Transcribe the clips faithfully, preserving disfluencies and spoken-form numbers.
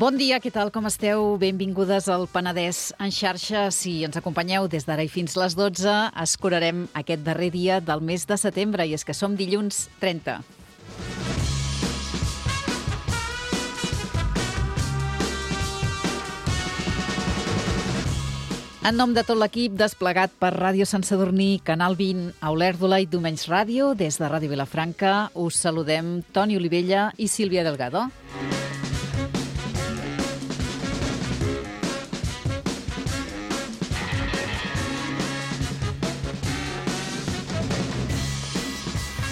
Bon dia, què tal, com esteu? Benvingudes al Penedès en xarxa. Si ens acompanyeu des d'ara i fins les dotze, escurarem aquest darrer dia del mes de setembre, i és que som dilluns trenta. En nom de tot l'equip desplegat per Ràdio Sant Sadurní, Canal vint, a Olèrdola i Domenys Ràdio, des de Ràdio Vilafranca, us saludem Toni Olivella i Sílvia Delgado.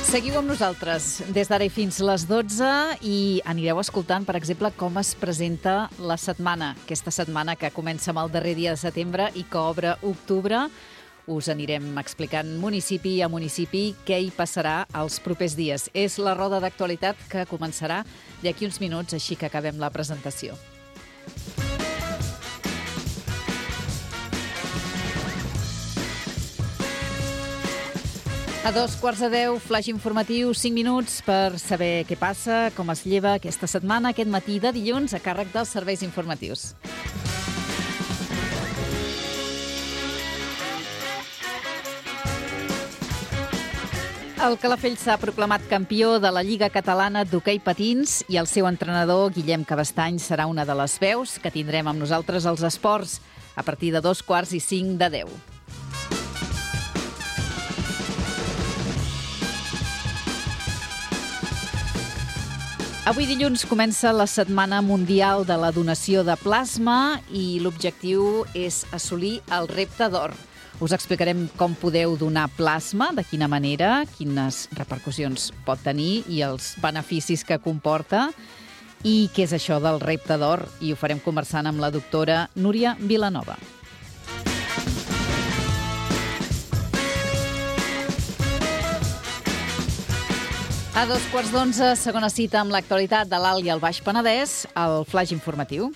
Seguiu amb nosaltres des d'ara i fins les dotze i anireu escoltant, per exemple, com es presenta la setmana. Aquesta setmana que comença amb el darrer dia de setembre i que obre octubre. Us anirem explicant municipi a municipi què hi passarà els propers dies. És la roda d'actualitat que començarà d'aquí uns minuts, així que acabem la presentació. A dos quarts de deu, flash informatiu, cinc minuts per saber què passa, com es lleva aquesta setmana, aquest matí de dilluns, a càrrec dels serveis informatius. El Calafell s'ha proclamat campió de la Lliga Catalana d'Hoquei Patins i el seu entrenador, Guillem Cabestany, serà una de les veus que tindrem amb nosaltres als esports a partir de dos quarts i cinc de deu. Avui dilluns comença la Setmana Mundial de la Donació de Plasma i l'objectiu és assolir el repte d'or. Us explicarem com podeu donar plasma, de quina manera, quines repercussions pot tenir i els beneficis que comporta i què és això del repte d'or, i ho farem conversant amb la doctora Núria Vilanova. A dos quarts d'onze, segona cita amb l'actualitat de l'Alt i el Baix Penedès, el flash informatiu.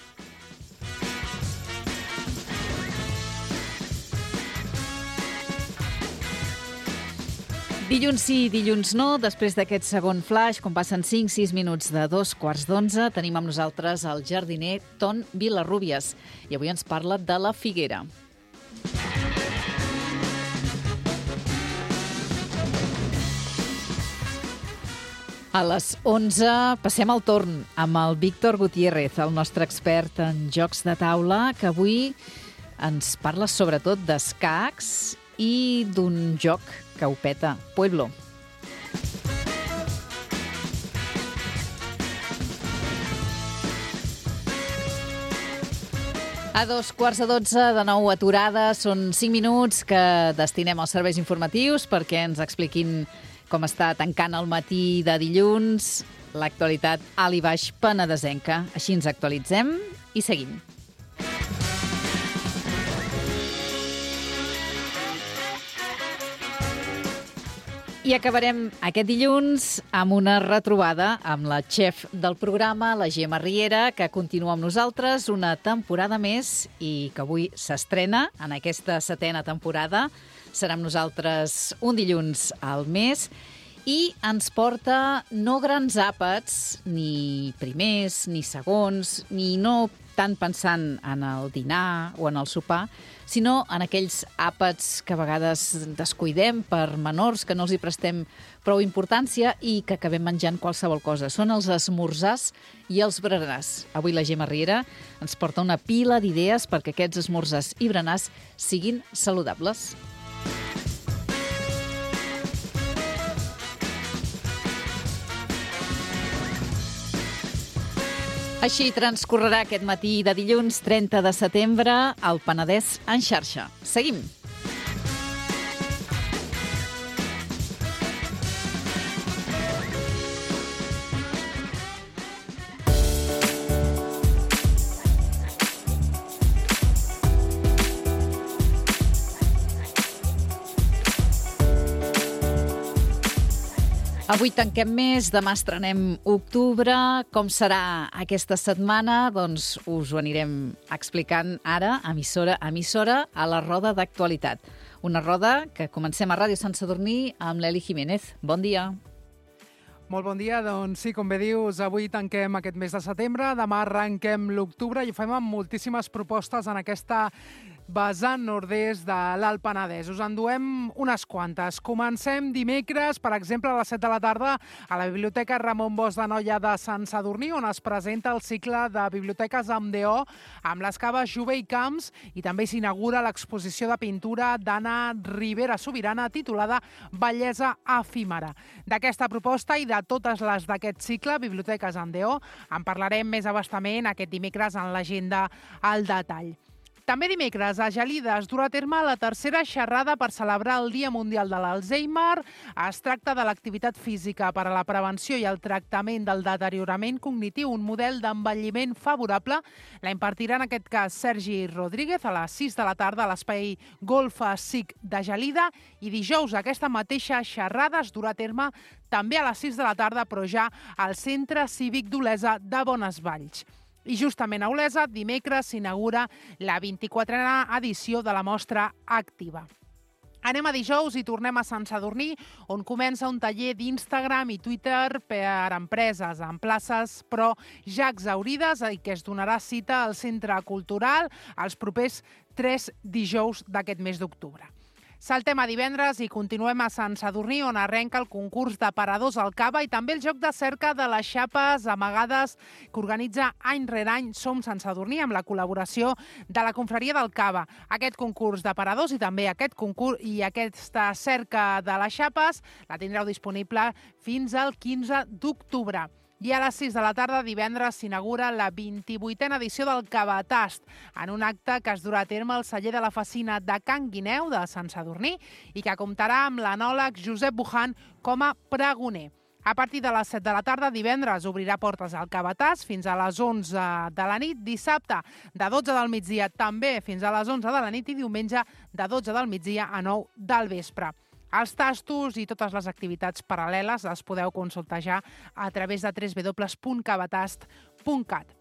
Dilluns sí, dilluns no. Després d'aquest segon flash, quan passen cinc sis minuts de dos quarts d'onze, tenim amb nosaltres el jardiner Ton Vilarrubias. I avui ens parla de la figuera. A les onze passem el torn amb el Víctor Gutiérrez, el nostre expert en jocs de taula, que avui ens parla sobretot d'escacs i d'un joc que ho peta, Pueblo. A dos quarts de dotze, de nou aturada, són cinc minuts que destinem als serveis informatius perquè ens expliquin com està tancant el matí de dilluns, l'actualitat alt i baix penedesenca. Així ens actualitzem i seguim. I acabarem aquest dilluns amb una retrobada amb la xef del programa, la Gemma Riera, que continua amb nosaltres una temporada més i que avui s'estrena en aquesta setena temporada. Serà amb nosaltres un dilluns al mes i ens porta no grans àpats, ni primers, ni segons, ni no tant pensant en el dinar o en el sopar, sinó en aquells àpats que a vegades descuidem per menors, que no els hi prestem prou importància i que acabem menjant qualsevol cosa. Són els esmorzars i els berenars. Avui la Gemma Riera ens porta una pila d'idees perquè aquests esmorzars i berenars siguin saludables. Així transcorrerà aquest matí de dilluns trenta de setembre al Penedès en xarxa. Seguim. Avui tanquem mes, demà estrenem octubre. Com serà aquesta setmana? Doncs us ho anirem explicant ara, emissora a emissora, a la roda d'actualitat. Una roda que comencem a Ràdio Sant Sadurní amb l'Eli Jiménez. Bon dia. Molt bon dia. Doncs sí, com bé dius, avui tanquem aquest mes de setembre, demà arrenquem l'octubre i ho fem amb moltíssimes propostes en aquesta vessant nord-est de l'Alt Penedès. Us en duem unes quantes. Comencem dimecres, per exemple, a les set de la tarda a la Biblioteca Ramon Bosch d'Anoia de Sant Sadurní, on es presenta el cicle de biblioteques amb D O, amb les caves Jove i Camps, i també s'inaugura l'exposició de pintura d'Anna Ribera Sobirana titulada Bellesa efímera. D'aquesta proposta i de totes les d'aquest cicle, biblioteques amb D O, en parlarem més a bastament aquest dimecres en l'agenda al detall. També dimecres, a Gelida, es durà a terme la tercera xerrada per celebrar el Dia Mundial de l'Alzheimer. Es tracta de l'activitat física per a la prevenció i el tractament del deteriorament cognitiu, un model d'envelliment favorable. La impartirà en aquest cas Sergi Rodríguez a les sis de la tarda a l'espai Golfa S I C de Gelida, i dijous aquesta mateixa xerrada es durà a terme també a les sis de la tarda, però ja al Centre Cívic d'Olesa de Bonesvalls. I justament a Olesa, dimecres, s'inaugura la vint-i-quatrena edició de la Mostra Activa. Anem a dijous i tornem a Sant Sadurní, on comença un taller d'Instagram i Twitter per a empreses en places, però ja exaurides, i que es donarà cita al Centre Cultural els propers tres dijous d'aquest mes d'octubre. Saltem a divendres i continuem a Sant Sadurní, on arrenca el concurs d'aparadors al Cava i també el joc de cerca de les xapes amagades que organitza any rere any Som Sant Sadurní, amb la col·laboració de la Confraria del Cava. Aquest concurs d'aparadors i també aquest concurs i aquesta cerca de les xapes la tindreu disponible fins al quinze d'octubre. I a les sis de la tarda, divendres, s'inaugura la vint-i-vuitena edició del Cavatast, en un acte que es durà a terme al celler de la Facina de Can Guineu de Sant Sadurní i que comptarà amb l'anòleg Josep Bujan com a pregoner. A partir de les set de la tarda, divendres, obrirà portes al Cavatàs fins a les onze de la nit, dissabte de dotze del migdia també fins a les onze de la nit i diumenge de dotze del migdia a nou del vespre. Els tastos i totes les activitats paral·leles les podeu consultar ja a través de w w w punt cavatast punt cat.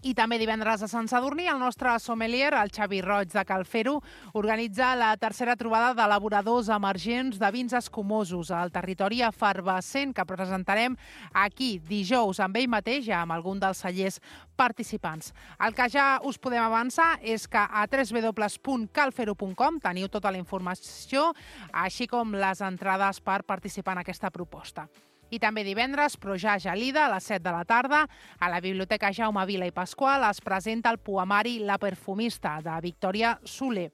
I també divendres a Sant Sadurní, el nostre sommelier, el Xavi Roig de Calfero, organitza la tercera trobada d'elaboradors emergents de vins escumosos al territori efervescent, que presentarem aquí dijous amb ell mateix, amb algun dels cellers participants. El que ja us podem avançar és que a w w w punt calfero punt com teniu tota la informació, així com les entrades per participar en aquesta proposta. I també divendres, però ja a Gelida, a les set de la tarda, a la Biblioteca Jaume Vila i Pasqual es presenta el poemari La perfumista, de Victòria Soler.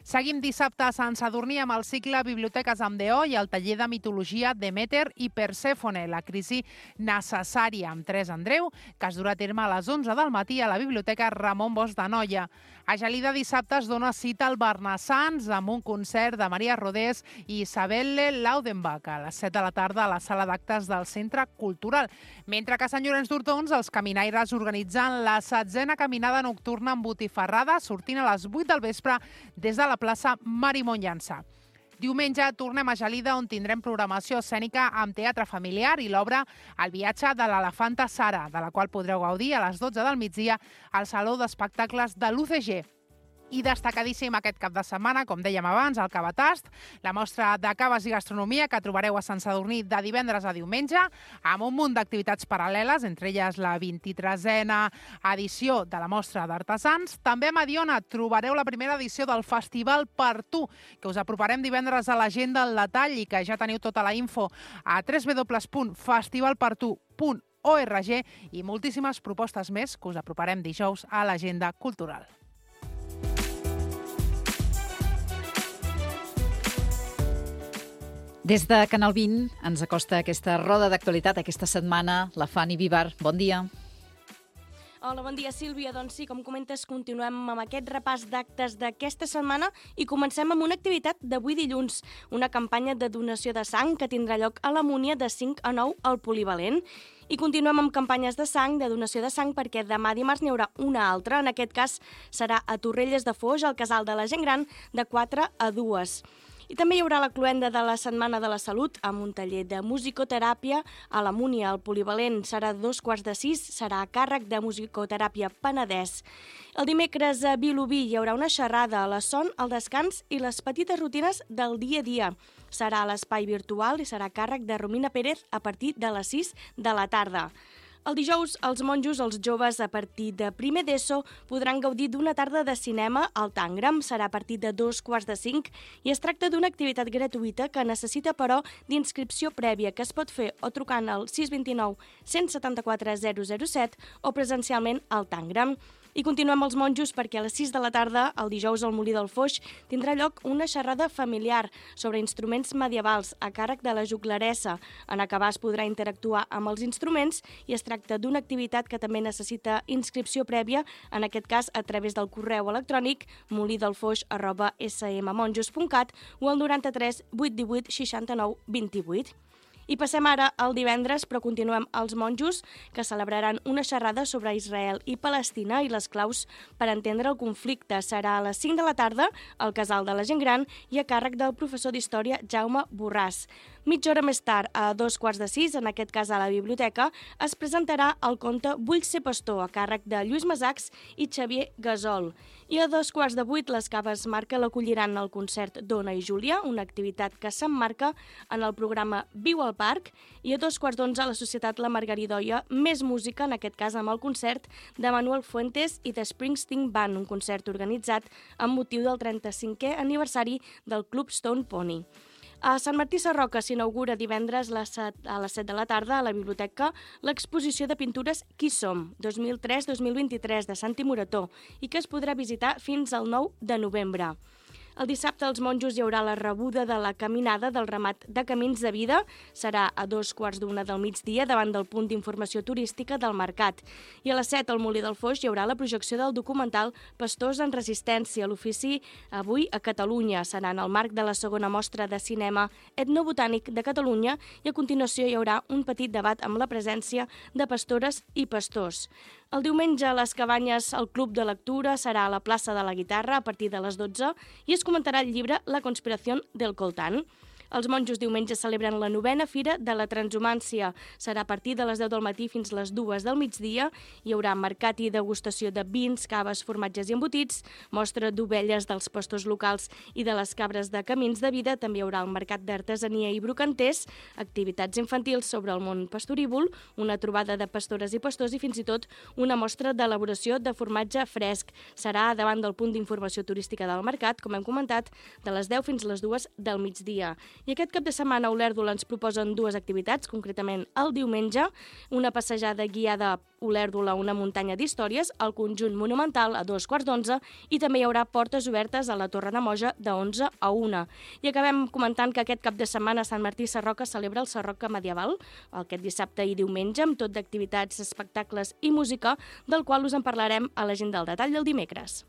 Seguim dissabte a Sant Sadurní amb el cicle Biblioteques amb D O i el taller de mitologia Deméter i Persèfone, la crisi necessària, amb Teresa Andreu, que es durà a terme a les onze del matí a la Biblioteca Ramon Bosch d'Anoia. A Gelida dissabte es dona cita al Barnassans amb un concert de Maria Rodés i Isabelle Laudenbach a les set de la tarda a la sala d'actes del Centre Cultural. Mentre que a Sant Llorenç d'Hortons els caminaires organitzen la setzena caminada nocturna amb botifarrada sortint a les vuit del vespre des de la plaça Marimon Llança. Diumenge tornem a Gelida, on tindrem programació escènica amb teatre familiar i l'obra El viatge de l'elefanta Sara, de la qual podreu gaudir a les dotze del migdia al Saló d'Espectacles de l'U C G. I destacadíssim aquest cap de setmana, com dèiem abans, el Cavatast, la mostra de caves i gastronomia que trobareu a Sant Sadurní de divendres a diumenge, amb un munt d'activitats paral·leles, entre elles la vint-i-tresena edició de la mostra d'artesans. També a Mediona trobareu la primera edició del Festival Per Tu, que us aproparem divendres a l'agenda al detall i que ja teniu tota la info a w w w punt festival per tu punt org i moltíssimes propostes més que us aproparem dijous a l'agenda cultural. Des de Canal vint ens acosta aquesta roda d'actualitat aquesta setmana la Fanny Vivar. Bon dia. Hola, bon dia, Sílvia. Doncs sí, com comentes, continuem amb aquest repàs d'actes d'aquesta setmana i comencem amb una activitat d'avui dilluns, una campanya de donació de sang que tindrà lloc a la Múnia de cinc a nou al Polivalent. I continuem amb campanyes de sang, de donació de sang, perquè demà dimarts n'hi haurà una altra. En aquest cas serà a Torrelles de Foix, al Casal de la Gent Gran, de quatre a dues. I també hi haurà la cloenda de la Setmana de la Salut amb un taller de musicoteràpia a la Múnia. El polivalent serà dos quarts de sis, serà a càrrec de Musicoteràpia Penedès. El dimecres a Vilobí hi haurà una xerrada a la son, el descans i les petites rutines del dia a dia. Serà a l'espai virtual i serà a càrrec de Romina Pérez a partir de les sis de la tarda. El dijous, els monjos, els joves, a partir de primer d'ESO, podran gaudir d'una tarda de cinema al Tangram. Serà a partir de dos quarts de cinc i es tracta d'una activitat gratuïta que necessita, però, d'inscripció prèvia, que es pot fer o trucant al sis dos nou, cent setanta-quatre, zero zero set o presencialment al Tangram. I continuem els monjos perquè a les sis de la tarda, el dijous al Molí del Foix, tindrà lloc una xerrada familiar sobre instruments medievals a càrrec de la juglaressa. En acabar es podrà interactuar amb els instruments i es tracta d'una activitat que també necessita inscripció prèvia, en aquest cas a través del correu electrònic molidelfoix arroba smmonjos punt cat o al noranta-tres, vuit divuit, seixanta-nou, vint-i-vuit. I passem ara al divendres, però continuem als monjos, que celebraran una xerrada sobre Israel i Palestina i les claus per entendre el conflicte. Serà a les cinc de la tarda al Casal de la Gent Gran i a càrrec del professor d'Història Jaume Borràs. Mitja hora més tard, a dos quarts de sis, en aquest cas a la biblioteca, es presentarà el conte Vull ser pastor, a càrrec de Lluís Masachs i Xavier Gasol. I a dos quarts de vuit, les Caves Marca l'acolliran al concert Dona i Júlia, una activitat que s'emmarca en el programa Viu al Parc, i a dos quarts d'onze, la Societat La Margaridoia, més música, en aquest cas amb el concert de Manuel Fuentes i de Springsteen Band, un concert organitzat amb motiu del trenta-cinquè aniversari del Club Stone Pony. A Sant Martí Sarroca s'inaugura divendres a les set de la tarda a la biblioteca l'exposició de pintures Qui som? dos mil tres dos mil vint-i-tres de Santi Morató i que es podrà visitar fins al nou de novembre. El dissabte als monjos hi haurà la rebuda de la caminada del ramat de Camins de Vida. Serà a dos quarts d'una del migdia davant del punt d'informació turística del Mercat. I a les set al Molí del Foix hi haurà la projecció del documental Pastors en Resistència, l'ofici avui a Catalunya. Serà en el marc de la segona mostra de cinema etnobotànic de Catalunya i a continuació hi haurà un petit debat amb la presència de pastores i pastors. El diumenge a les Cabanyes el Club de Lectura serà a la plaça de la Guitarra a partir de les dotze i es comentarà el llibre La conspiració del Coltán. Els monjos diumenge celebren la novena Fira de la Transhumància. Serà a partir de les deu del matí fins les dues del migdia. Hi haurà mercat i degustació de vins, caves, formatges i embotits, mostra d'ovelles dels pastors locals i de les cabres de Camins de Vida. També hi haurà el mercat d'artesania i brocanters, activitats infantils sobre el món pastorívol, una trobada de pastores i pastors i fins i tot una mostra d'elaboració de formatge fresc. Serà davant del punt d'informació turística del mercat, com hem comentat, de les deu fins les dues del migdia. I aquest cap de setmana a Olèrdola ens proposen dues activitats, concretament el diumenge, una passejada guiada a Olèrdola, una muntanya d'històries, al conjunt monumental a dos quarts d'onze i també hi haurà portes obertes a la Torre de Moja de onze a una. I acabem comentant que aquest cap de setmana Sant Martí Sarroca celebra el Sarroca Medieval, aquest dissabte i diumenge, amb tot d'activitats, espectacles i música, del qual us en parlarem a l'agenda del detall del dimecres.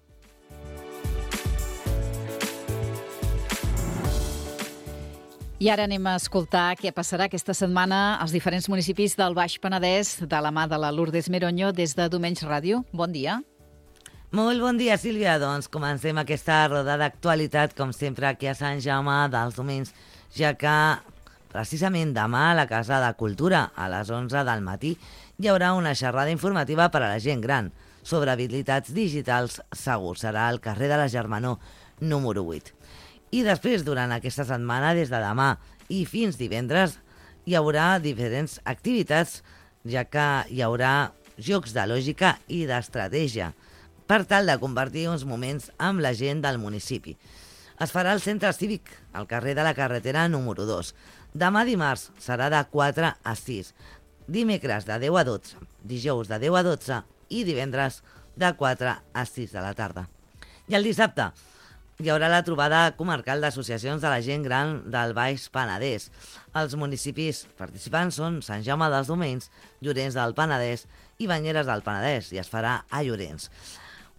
I ara anem a escoltar què passarà aquesta setmana als diferents municipis del Baix Penedès de la mà de la Lourdes Meroño des de Domenys Ràdio. Bon dia. Molt bon dia, Sílvia. Doncs comencem aquesta roda d'actualitat, com sempre, aquí a Sant Jaume dels Domenys, ja que precisament demà a la Casa de Cultura, a les onze del matí, hi haurà una xerrada informativa per a la gent gran sobre habilitats digitals segurs. Serà al carrer de la Germanor, número vuit. I després, durant aquesta setmana, des de demà i fins divendres, hi haurà diferents activitats, ja que hi haurà jocs de lògica i d'estratègia, per tal de compartir uns moments amb la gent del municipi. Es farà al Centre Cívic, al carrer de la Carretera número dos. Demà dimarts serà de quatre a sis, dimecres de deu a dotze, dijous de deu a dotze i divendres de quatre a sis de la tarda. I el dissabte hi haurà la trobada comarcal d'associacions de la gent gran del Baix Penedès. Els municipis participants són Sant Jaume dels Domenys, Llorenç del Penedès i Banyeres del Penedès, i es farà a Llorenç.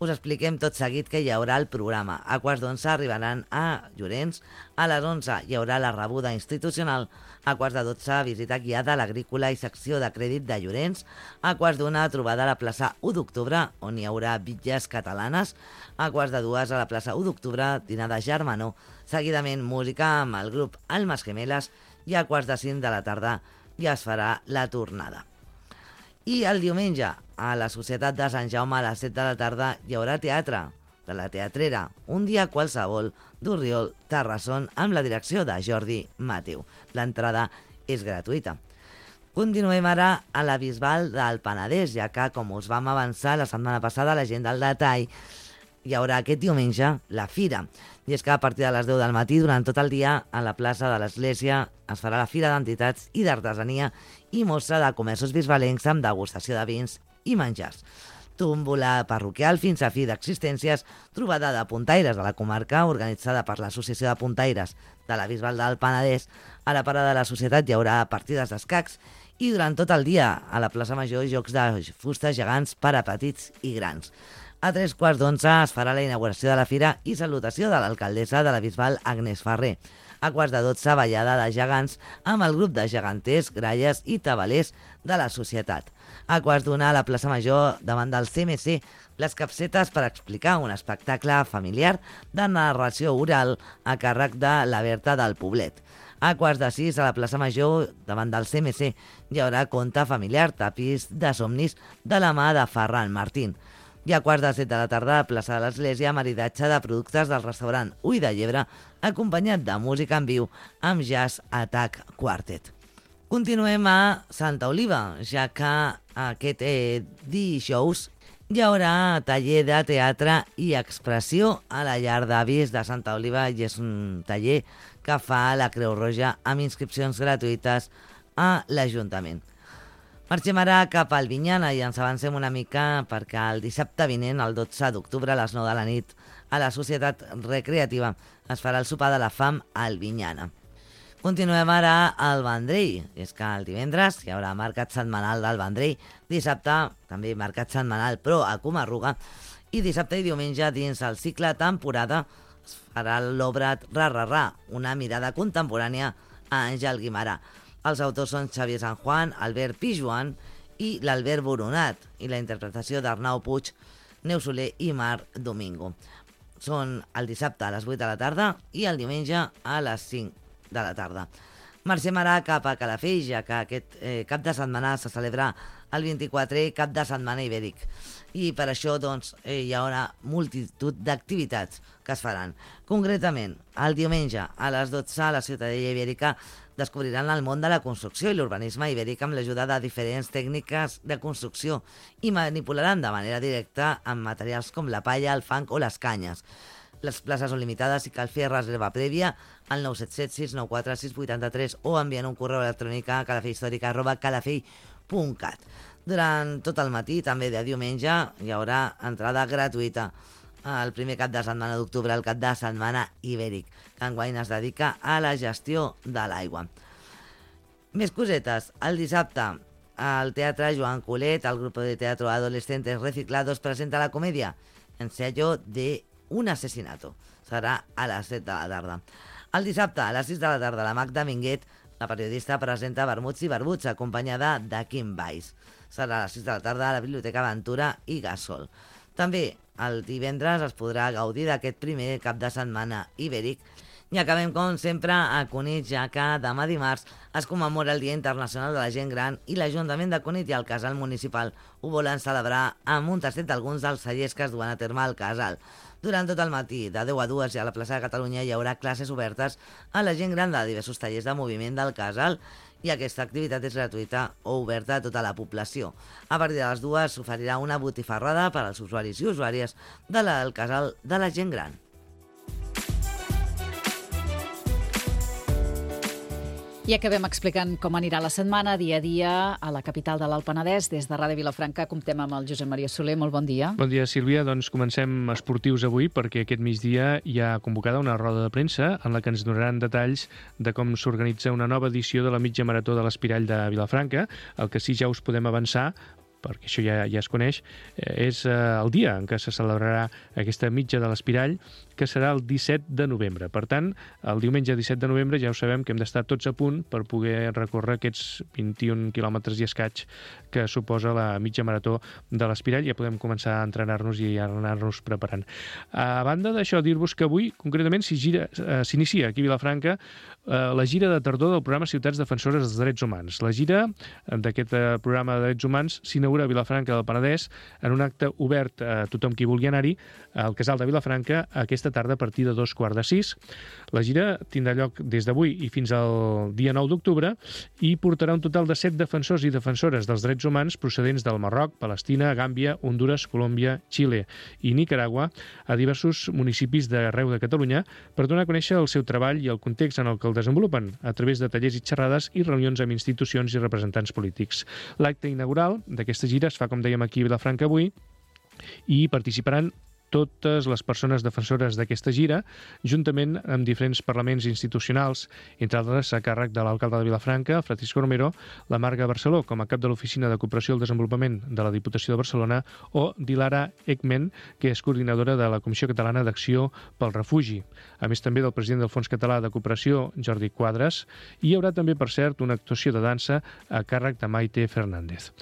Us expliquem tot seguit que hi haurà el programa. A quarts d'onze arribaran a Llorenç, a les onze hi haurà la rebuda institucional, a quarts de dotze visita guiada a l'Agrícola i secció de crèdit de Llorenç, a quarts d'una trobada a la plaça u d'octubre, on hi haurà bitlles catalanes, a quarts de dues a la plaça u d'octubre, dinar de germanor, seguidament música amb el grup Almas Gemeles i a quarts de cinc de la tarda ja es farà la tornada. I el diumenge, a la Societat de Sant Jaume, a les set de la tarda, hi haurà teatre de la Teatrera, un dia qualsevol d'Orriol, Terrasson, amb la direcció de Jordi Mateu. L'entrada és gratuïta. Continuem ara a la Bisbal del Penedès, ja que, com us vam avançar la setmana passada, la gent del detall, hi haurà aquest diumenge la Fira. I és que a partir de les deu del matí, durant tot el dia, a la plaça de l'Església es farà la Fira d'Entitats i d'Artesania i mostra de comerços bisbalencs amb degustació de vins i menjars. Tómbola parroquial fins a fi d'existències, trobada de puntaires de la comarca, organitzada per l'Associació de Puntaires de la Bisbal del Penedès. A la parada de la societat hi haurà partides d'escacs i durant tot el dia a la plaça Major jocs de fusta gegants per a petits i grans. A tres quarts d'onze es farà la inauguració de la fira i salutació de l'alcaldessa de la Bisbal, Agnès Ferrer. A quarts de dotze, ballada de gegants amb el grup de geganters, gralles i tabalers de la societat. A quarts d'una, a la plaça Major, davant del C M C, les capsetes per explicar un espectacle familiar de narració oral a càrrec de la Berta del Poblet. A quarts de sis, a la plaça Major, davant del C M C, hi haurà conte familiar, tapís de somnis de la mà de Ferran Martín. I a quarts de set de la tarda, a plaça de l'Església, maridatge de productes del restaurant Ull de Llebre, acompanyat de música en viu amb Jazz Attack Quartet. Continuem a Santa Oliva, ja que aquest eh, dijous hi haurà taller de teatre i expressió a la llar d'avis de Santa Oliva i és un taller que fa la Creu Roja amb inscripcions gratuïtes a l'Ajuntament. Marxem ara cap al Vinyana i ens avancem una mica perquè el dissabte vinent, el dotze d'octubre, a les nou de la nit, a la Societat Recreativa es farà el sopar de la fam al Vinyana. Continuem ara al Vendrell. És que el divendres hi haurà mercat setmanal del Vendrell, dissabte també mercat setmanal però a Comarruga, i dissabte i diumenge dins el cicle temporada es farà l'obra Ra-Ra-Ra, una mirada contemporània a Àngel Guimarà. Els autors són Xavier San Juan, Albert Pijuan i l'Albert Boronat, i la interpretació d'Arnau Puig, Neus Soler i Mar Domingo. Són el dissabte a les vuit de la tarda i el diumenge a les cinc de la tarda. Marxem ara cap a Calafell, ja que aquest eh, cap de setmana se celebra el vint-i-quatrè cap de setmana ibèric. I per això doncs, eh, hi haurà multitud d'activitats que es faran. Concretament, el diumenge a les dotze a la Ciutadella Ibèrica descobriran el món de la construcció i l'urbanisme ibèric amb l'ajuda de diferents tècniques de construcció i manipularan de manera directa amb materials com la palla, el fang o les canyes. Les places són limitades i cal fer reserva prèvia al nou set set sis nou quatre sis vuit tres o enviant un correu electrònic a calafellhistorica arroba calafell punt cat. Durant tot el matí, també de diumenge, hi haurà entrada gratuïta el primer cap de setmana d'octubre, el cap de setmana ibèric, que enguany es dedica a la gestió de l'aigua. Més cosetes. El dissabte, al Teatre Joan Colet, el grup de teatro Adolescentes Reciclados presenta la comèdia Ensayo de un asesinato. Serà a les set de la tarda. El dissabte, a les sis de la tarda, la Magda Minguet, la periodista, presenta Vermuts i Barbuts, acompanyada de Kim Weiss. Serà a les sis de la tarda a la Biblioteca Ventura i Gasol. També el divendres es podrà gaudir d'aquest primer cap de setmana ibèric. I acabem, com sempre, a Cunit, ja que demà dimarts es commemora el Dia Internacional de la Gent Gran i l'Ajuntament de Cunit i el Casal Municipal ho volen celebrar amb un tastet d'alguns dels cellers que es duen a terme al casal. Durant tot el matí, de deu a dues, i a la plaça de Catalunya hi haurà classes obertes a la gent gran de diversos tallers de moviment del casal i aquesta activitat és gratuïta o oberta a tota la població. A partir de les dues s'oferirà una botifarrada per als usuaris i usuàries del casal de la gent gran. I acabem explicant com anirà la setmana, dia a dia, a la capital de l'Alt Penedès. Des de Ràdio Vilafranca comptem amb el Josep Maria Soler. Molt bon dia. Bon dia, Sílvia. Doncs comencem esportius avui perquè aquest migdia hi ha convocada una roda de premsa en la que ens donaran detalls de com s'organitza una nova edició de la mitja marató de l'Espirall de Vilafranca. El que sí ja us podem avançar perquè això ja, ja es coneix, eh, és eh, el dia en què se celebrarà aquesta mitja de l'Espirall, que serà el disset de novembre. Per tant, el diumenge disset de novembre ja ho sabem que hem d'estar tots a punt per poder recórrer aquests vint-i-un quilòmetres i escaig que suposa la mitja marató de l'Espirall. Ja podem començar a entrenar-nos i a anar-nos preparant. A banda d'això, dir-vos que avui, concretament, s'inicia aquí a Vilafranca la gira de tardor del programa Ciutats Defensores dels Drets Humans. La gira d'aquest programa de drets humans s'inaugura a Vilafranca del Penedès en un acte obert a tothom qui vulgui anar-hi al Casal de Vilafranca aquesta tarda a partir de dos quarts de sis. La gira tindrà lloc des d'avui i fins al dia nou d'octubre i portarà un total de set defensors i defensores dels drets humans procedents del Marroc, Palestina, Gàmbia, Hondures, Colòmbia, Xile i Nicaragua a diversos municipis d'arreu de Catalunya per donar a conèixer el seu treball i el context en el que el desenvolupen a través de tallers i xerrades i reunions amb institucions i representants polítics. L'acte inaugural d'aquesta gira es fa, com dèiem, aquí a Vilafranca avui i participaran totes les persones defensores d'aquesta gira, juntament amb diferents parlaments institucionals, entre altres a càrrec de l'alcalde de Vilafranca, Francisco Romero, la Marga Barceló, com a cap de l'Oficina de Cooperació al Desenvolupament de la Diputació de Barcelona, o Dilara Ekmen, que és coordinadora de la Comissió Catalana d'Acció pel Refugi. A més, també del president del Fons Català de Cooperació, Jordi Quadras, i hi haurà també, per cert, una actuació de dansa a càrrec de Maite Fernández.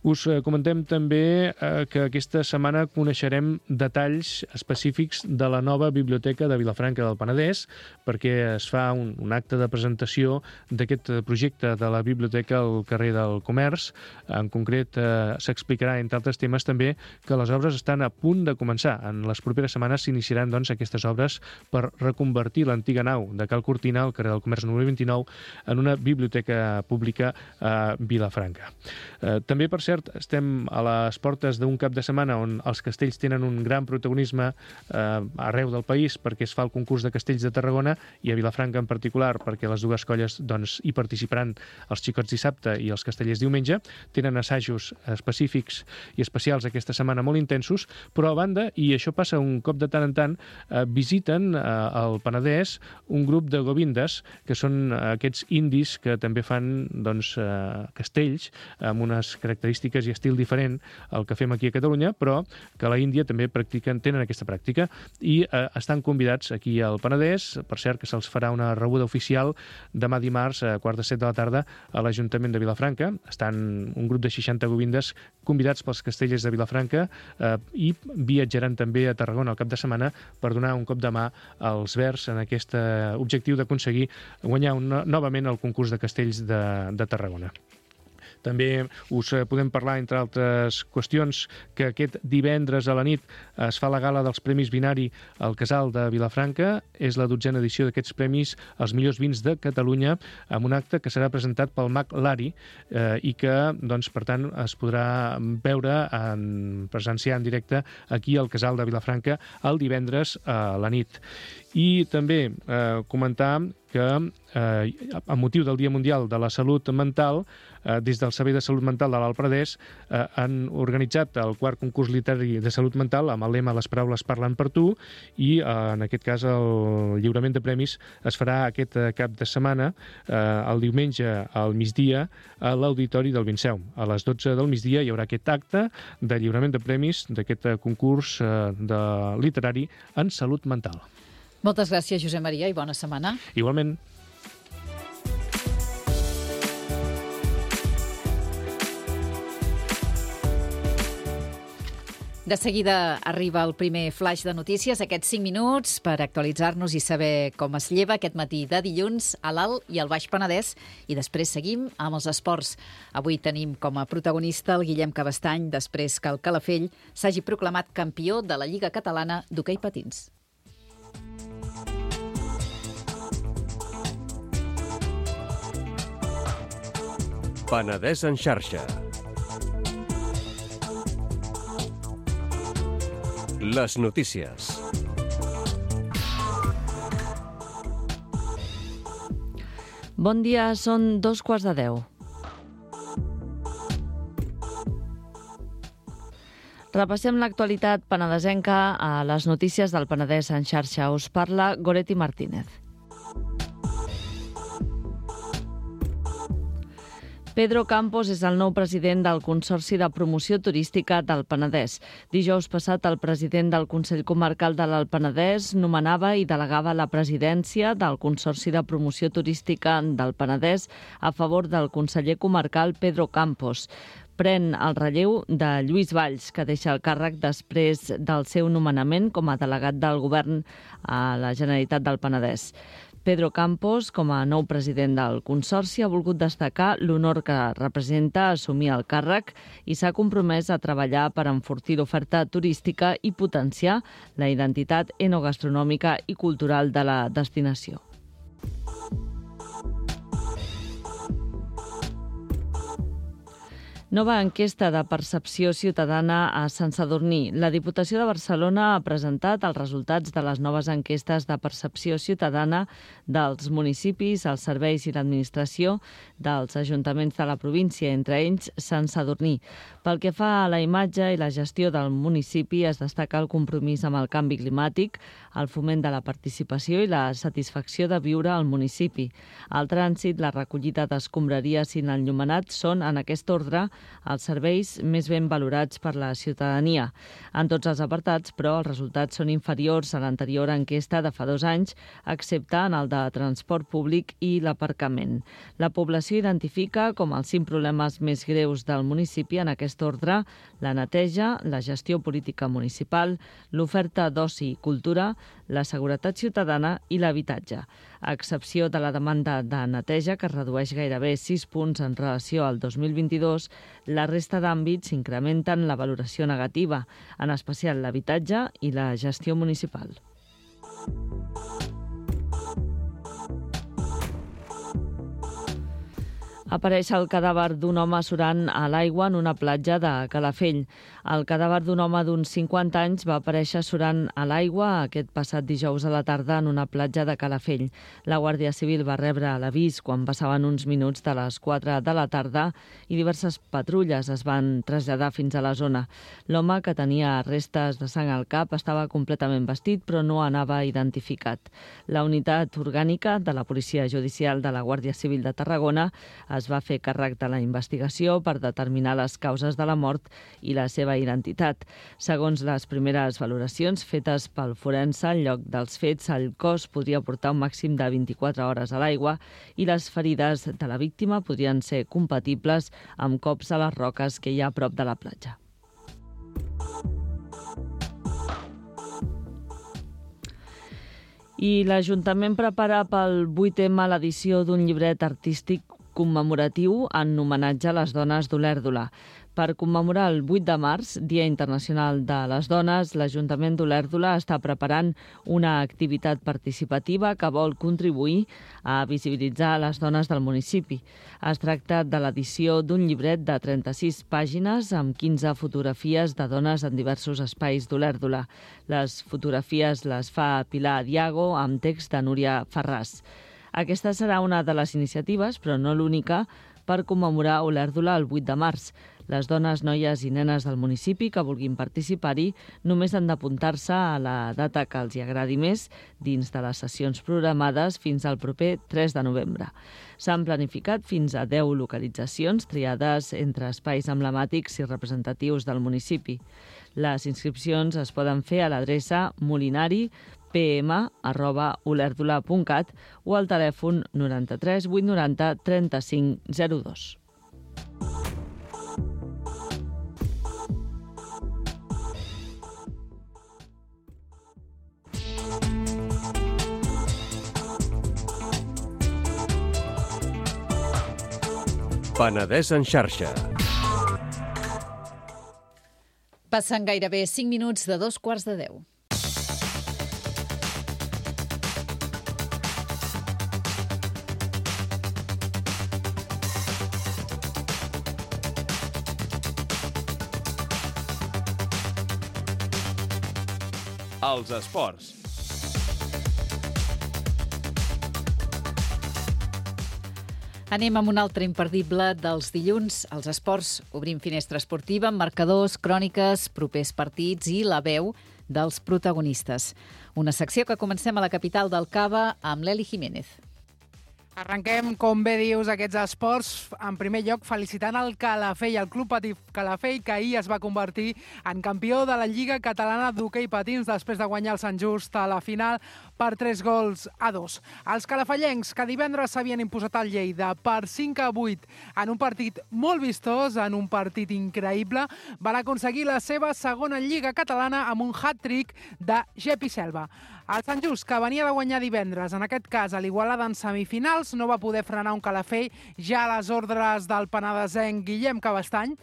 Us comentem també que aquesta setmana coneixerem detalls específics de la nova Biblioteca de Vilafranca del Penedès, perquè es fa un, un acte de presentació d'aquest projecte de la Biblioteca al carrer del Comerç. En concret, eh, s'explicarà, entre altres temes, també que les obres estan a punt de començar. En les properes setmanes s'iniciaran doncs, aquestes obres per reconvertir l'antiga nau de Cal Cortina, al carrer del Comerç número vint-i-nou, en una biblioteca pública a Vilafranca. Eh, també, per cert, estem a les portes d'un cap de setmana on els castells tenen un gran protagonisme eh, arreu del país perquè es fa el concurs de castells de Tarragona i a Vilafranca en particular perquè les dues colles doncs, hi participaran els xicots dissabte i els castellers diumenge. Tenen assajos específics i especials aquesta setmana molt intensos, però a banda, i això passa un cop de tant en tant, eh, visiten eh, al Penedès un grup de govindes que són aquests indis que també fan doncs, eh, castells amb unes característiques i estil diferent al que fem aquí a Catalunya, però que a la Índia també practiquen, tenen aquesta pràctica i eh, estan convidats aquí al Penedès. Per cert, que se'ls farà una rebuda oficial demà dimarts a quart de set de la tarda a l'Ajuntament de Vilafranca. Estan un grup de seixanta govindes convidats pels castellers de Vilafranca eh, i viatjaran també a Tarragona el cap de setmana per donar un cop de mà als verds en aquest objectiu d'aconseguir guanyar un, novament el concurs de castells de, de Tarragona. També us podem parlar, entre altres qüestions, que aquest divendres a la nit es fa la gala dels Premis Binari al Casal de Vilafranca. És la dotzena edició d'aquests premis als millors vins de Catalunya, amb un acte que serà presentat pel mag Lari eh, i que, doncs, per tant, es podrà veure en presenciar en directe aquí al Casal de Vilafranca el divendres a la nit. I també eh, comentar que eh, amb motiu del Dia Mundial de la Salut Mental, eh, des del Servei de Salut Mental de l'Alt Penedès eh, han organitzat el quart concurs literari de salut mental amb el lema Les paraules parlen per tu i eh, en aquest cas el lliurament de premis es farà aquest cap de setmana, eh, el diumenge al migdia a l'Auditori del Vinceum. A les dotze del migdia hi haurà aquest acte de lliurament de premis d'aquest concurs eh, de literari en salut mental. Moltes gràcies, Josep Maria, i bona setmana. Igualment. De seguida arriba el primer flash de notícies, aquests cinc minuts per actualitzar-nos i saber com es lleva aquest matí de dilluns a l'Alt i al Baix Penedès, i després seguim amb els esports. Avui tenim com a protagonista el Guillem Cabestany, després que el Calafell s'hagi proclamat campió de la Lliga Catalana d'hoquei patins. Penedès en xarxa. Les notícies. Bon dia, són dos quarts de deu. Repassem l'actualitat penedesenca a les notícies del Penedès en xarxa. Us parla Goretti Martínez. Pedro Campos és el nou president del Consorci de Promoció Turística del Penedès. Dijous passat, el president del Consell Comarcal de l'Alt Penedès nomenava i delegava la presidència del Consorci de Promoció Turística del Penedès a favor del conseller comarcal Pedro Campos. Pren el relleu de Lluís Valls, que deixa el càrrec després del seu nomenament com a delegat del govern a la Generalitat del Penedès. Pedro Campos, com a nou president del Consorci, ha volgut destacar l'honor que representa assumir el càrrec i s'ha compromès a treballar per enfortir l'oferta turística i potenciar la identitat enogastronòmica i cultural de la destinació. Nova enquesta de percepció ciutadana a Sant Sadurní. La Diputació de Barcelona ha presentat els resultats de les noves enquestes de percepció ciutadana dels municipis, els serveis i l'administració dels ajuntaments de la província, entre ells Sant Sadurní. Pel que fa a la imatge i la gestió del municipi, es destaca el compromís amb el canvi climàtic, el foment de la participació i la satisfacció de viure al municipi. El trànsit, la recollida d'escombraries i l'enllumenat són, en aquest ordre, els serveis més ben valorats per la ciutadania. En tots els apartats, però, els resultats són inferiors a l'anterior enquesta de fa dos anys, excepte en el de transport públic i l'aparcament. La població identifica com els cinc problemes més greus del municipi en aquest ordre: la neteja, la gestió política municipal, l'oferta d'oci i cultura, la seguretat ciutadana i l'habitatge. A excepció de la demanda de neteja, que es redueix gairebé sis punts en relació al dos mil vint-i-dos, la resta d'àmbits incrementen la valoració negativa, en especial l'habitatge i la gestió municipal. Apareix el cadàver d'un home surant a l'aigua en una platja de Calafell. El cadàver d'un home d'uns cinquanta anys va aparèixer surant a l'aigua aquest passat dijous a la tarda en una platja de Calafell. La Guàrdia Civil va rebre l'avís quan passaven uns minuts de les quatre de la tarda i diverses patrulles es van traslladar fins a la zona. L'home, que tenia restes de sang al cap, estava completament vestit però no anava identificat. La unitat orgànica de la Policia Judicial de la Guàrdia Civil de Tarragona es va fer càrrec de la investigació per determinar les causes de la mort i la seva identitat. Segons les primeres valoracions fetes pel forense, al lloc dels fets, el cos podria portar un màxim de vint-i-quatre hores a l'aigua i les ferides de la víctima podrien ser compatibles amb cops a les roques que hi ha a prop de la platja. I l'Ajuntament prepara pel vuit ema l'edició d'un llibret artístic commemoratiu en homenatge a les dones d'Olèrdola. Per commemorar el vuit de març, Dia Internacional de les Dones, l'Ajuntament d'Olèrdola està preparant una activitat participativa que vol contribuir a visibilitzar les dones del municipi. Es tracta de l'edició d'un llibret de trenta-sis pàgines amb quinze fotografies de dones en diversos espais d'Olèrdola. Les fotografies les fa Pilar Diago amb text de Núria Ferràs. Aquesta serà una de les iniciatives, però no l'única, per commemorar Olèrdola el vuit de març. Les dones, noies i nenes del municipi que vulguin participar-hi només han d'apuntar-se a la data que els hi agradi més dins de les sessions programades fins al proper tres de novembre. S'han planificat fins a deu localitzacions triades entre espais emblemàtics i representatius del municipi. Les inscripcions es poden fer a l'adreça molinari p m arroba olèrdola punt cat o al telèfon noranta-tres vuit noranta trenta-cinc zero dos. Penedès en xarxa. Passen gairebé cinc minuts de dos quarts de deu. Els esports. Anem amb un altre imperdible dels dilluns. Els esports. Obrim finestra esportiva amb marcadors, cròniques, propers partits i la veu dels protagonistes. Una secció que comencem a la capital del Cava amb l'Eli Jiménez. Arrenquem, com bé dius, aquests esports. En primer lloc, felicitant el Calafell, el Club Patí Calafell, que ahir es va convertir en campió de la Lliga Catalana d'Hoquei Patins després de guanyar el Sant Just a la final per tres gols a dos. Els calafellencs, que divendres s'havien imposat al Lleida per cinc a vuit en un partit molt vistós, en un partit increïble, van aconseguir la seva segona Lliga Catalana amb un hat-trick de Gepi Selva. El Sant Just, que venia de guanyar divendres, en aquest cas a l'Igualada en semifinals, no va poder frenar un Calafell ja a les ordres del penedesenc Guillem Cabestany,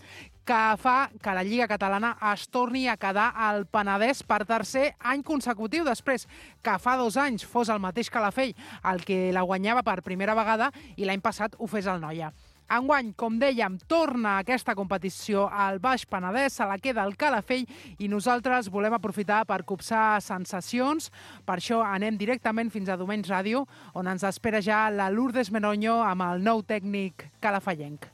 que fa que la Lliga Catalana es torni a quedar al Penedès per tercer any consecutiu, després que fa dos anys fos el mateix Calafell el que la guanyava per primera vegada i l'any passat ho fes el Noia. Enguany, com dèiem, torna aquesta competició al Baix Penedès, se la queda el Calafell i nosaltres volem aprofitar per copsar sensacions. Per això anem directament fins a Domeny Ràdio, on ens espera ja la Lourdes Menoño amb el nou tècnic calafellenc.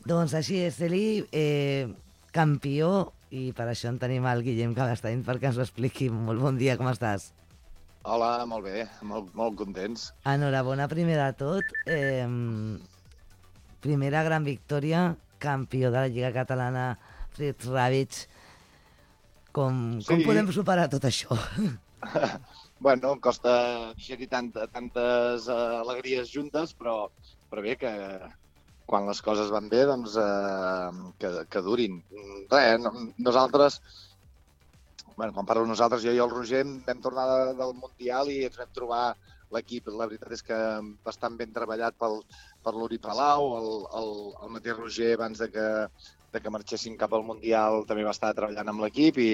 Doncs així és, Eli, eh, campió, i per això en tenim el Guillem Cabestany perquè ens ho expliqui. Molt bon dia, com estàs? Hola, molt bé, molt, molt contents. Enhorabona, primer de tot. Eh, primera gran victòria, campió de la Lliga Catalana, Fritz Ravitch. Com, sí. com podem superar tot això? Bueno, costa digerir tant, tantes uh, alegries juntes, però, però bé que quan les coses van bé, doncs uh, que, que durin. Res, no, nosaltres, bueno, quan parlo nosaltres, jo i el Roger vam tornar de, del Mundial i ens vam trobar l'equip, la veritat és que bastant ben treballat pel, per l'Uri Palau, el, el, el mateix Roger, abans de que, de que marxessin cap al Mundial, també va estar treballant amb l'equip i,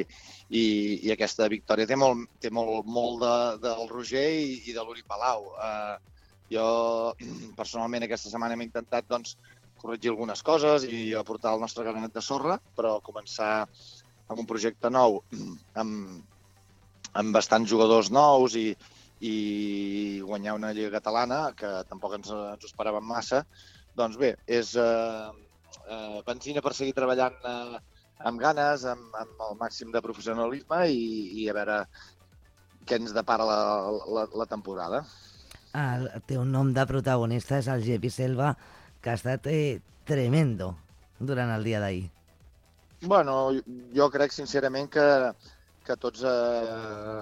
i, i aquesta victòria té molt, té molt, molt de, del Roger i, i de l'Uri Palau. Uh, jo, personalment, aquesta setmana hem intentat doncs, corregir algunes coses i aportar el nostre granet de sorra, però començar amb un projecte nou, amb, amb bastants jugadors nous i i guanyar una Lliga Catalana, que tampoc ens, ens ho esperàvem massa, doncs bé, és eh, eh, benzina per seguir treballant eh, amb ganes, amb, amb el màxim de professionalisme i, i a veure què ens depara la, la, la temporada. El teu nom de protagonista és el Gepi Selva, que ha estat eh, tremendo durant el dia d'ahir. Bueno, jo crec sincerament que que tots eh,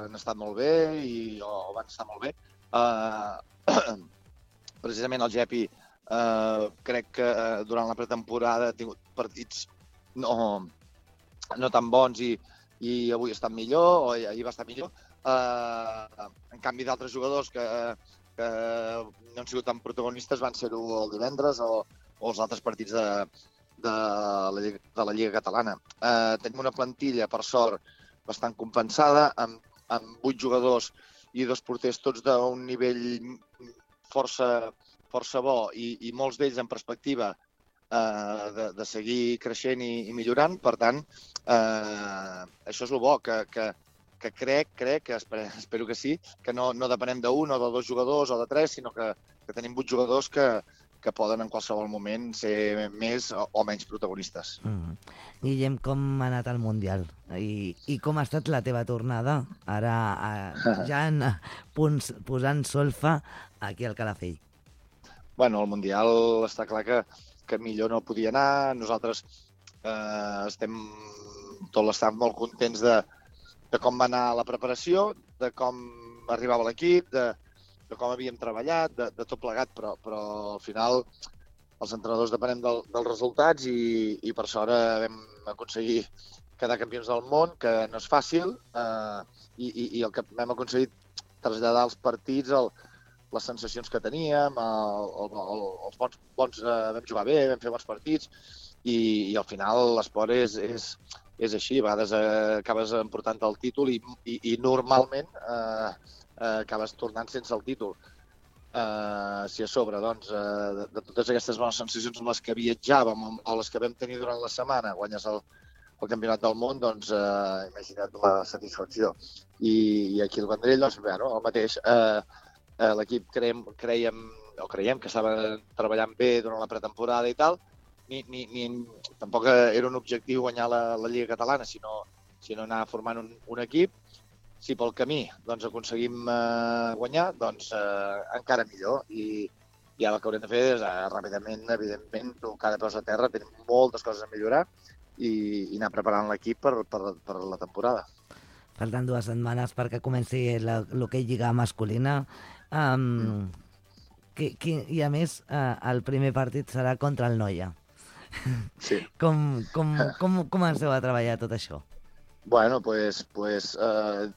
han estat molt bé i o van estar molt bé. Eh, precisament el Gepi eh, crec que eh, durant la pretemporada ha tingut partits no, no tan bons i, i avui ha estat millor, o ahir va estar millor. Eh, en canvi, d'altres jugadors que, que no han sigut tan protagonistes van ser-ho el divendres o, o els altres partits de, de, la, de la Lliga Catalana. Eh, tenim una plantilla, per sort, bastant compensada, amb, amb vuit jugadors i dos porters tots d'un nivell força, força bo i, i molts d'ells en perspectiva eh, de, de seguir creixent i, i millorant. Per tant, eh, això és el bo, que, que, que crec, crec, que espero, espero que sí, que no, no depenem d'un o de dos jugadors o de tres, sinó que, que tenim vuit jugadors que, que poden en qualsevol moment ser més o, o menys protagonistes. Mm. Guillem, com ha anat el Mundial? I, i com ha estat la teva tornada ara a, ja en, punts, posant solfa aquí al Calafell? Bueno, el Mundial està clar que, que millor no podia anar. Nosaltres eh, estem tot l'estat molt contents de, de com va anar la preparació, de com arribava l'equip, de de com havíem treballat, de, de tot plegat, però, però al final els entrenadors depenem del, dels resultats i, i per sort vam aconseguir quedar campions del món, que no és fàcil, eh, i, i, i el que vam aconseguir traslladar als partits el, les sensacions que teníem, el, el, el, els bons, bons eh, vam jugar bé, vam fer bons partits, i, i al final l'esport és, és, és així, a vegades eh, acabes emportant el títol i, i, i normalment eh, Uh, acabes tornant sense el títol. Uh, si a sobre, doncs, uh, de, de totes aquestes bones sensacions amb les que viatjàvem o les que vam tenir durant la setmana, guanyes el, el campionat del món, doncs uh, imagina't la satisfacció. I, i aquí al Vendrell, doncs, bueno, el mateix. Uh, uh, L'equip creiem, creiem, o creiem que estava treballant bé durant la pretemporada i tal. Ni, ni, ni, tampoc era un objectiu guanyar la, la Lliga Catalana, sinó, sinó anar formant un, un equip. Si pel camí doncs, aconseguim eh, guanyar, doncs eh, encara millor. I, i ara el que haurem de fer és eh, ràpidament, evidentment, tocar de peus a terra, tenim moltes coses a millorar i, i anar preparant l'equip per, per, per la temporada. Falten dues setmanes perquè comenci l'hoquei lliga masculina. Um, mm. que, que, I a més, uh, el primer partit serà contra el Noia. Sí. Com, com, com comenceu a treballar tot això? Bueno, pues, pues eh,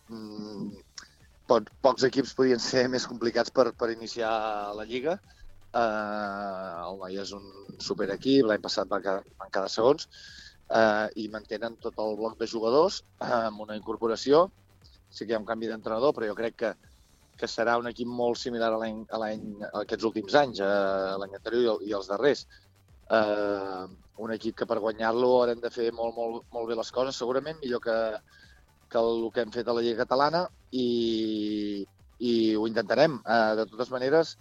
pot, pocs equips podien ser més complicats per, per iniciar la Lliga. Eh, el Noia és un superequip, l'any passat van quedar, van quedar segons, eh, i mantenen tot el bloc de jugadors eh, amb una incorporació. Sí que hi ha un canvi d'entrenador, però jo crec que, que serà un equip molt similar a l'any a l'any a aquests últims anys, eh, l'any anterior i, i els darrers. Eh, un equip que per guanyar-lo haurem de fer molt, molt, molt bé les coses, segurament, millor que, que el que hem fet a la Lliga Catalana, i, i ho intentarem. Eh, de totes maneres,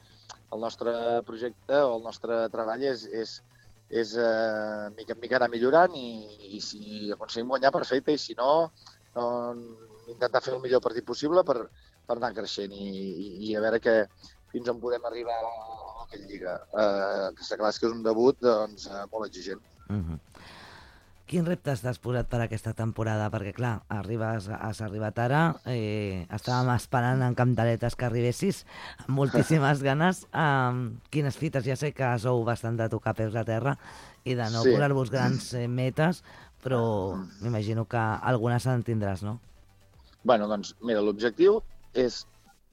el nostre projecte o el nostre treball és, és, és eh, mica en mica anar millorant i, i si aconseguim guanyar, perfecte, i si no, no intentar fer el millor partit possible per, per anar creixent i, i, i a veure que fins on podem arribar a aquella Lliga. Eh, que està clar que és un debut doncs, eh, molt exigent. Uh-huh. Quins reptes t'has posat per aquesta temporada? Perquè, clar, arribes, has arribat ara, eh, estàvem esperant en Cantaretes que arribessis, amb moltíssimes ganes. Um, quines fites? Ja sé que sou bastant de tocar peus a terra i de no sí. posar-vos grans eh, metes, però m'imagino que algunes en tindràs, no? Bueno, doncs, mira, l'objectiu és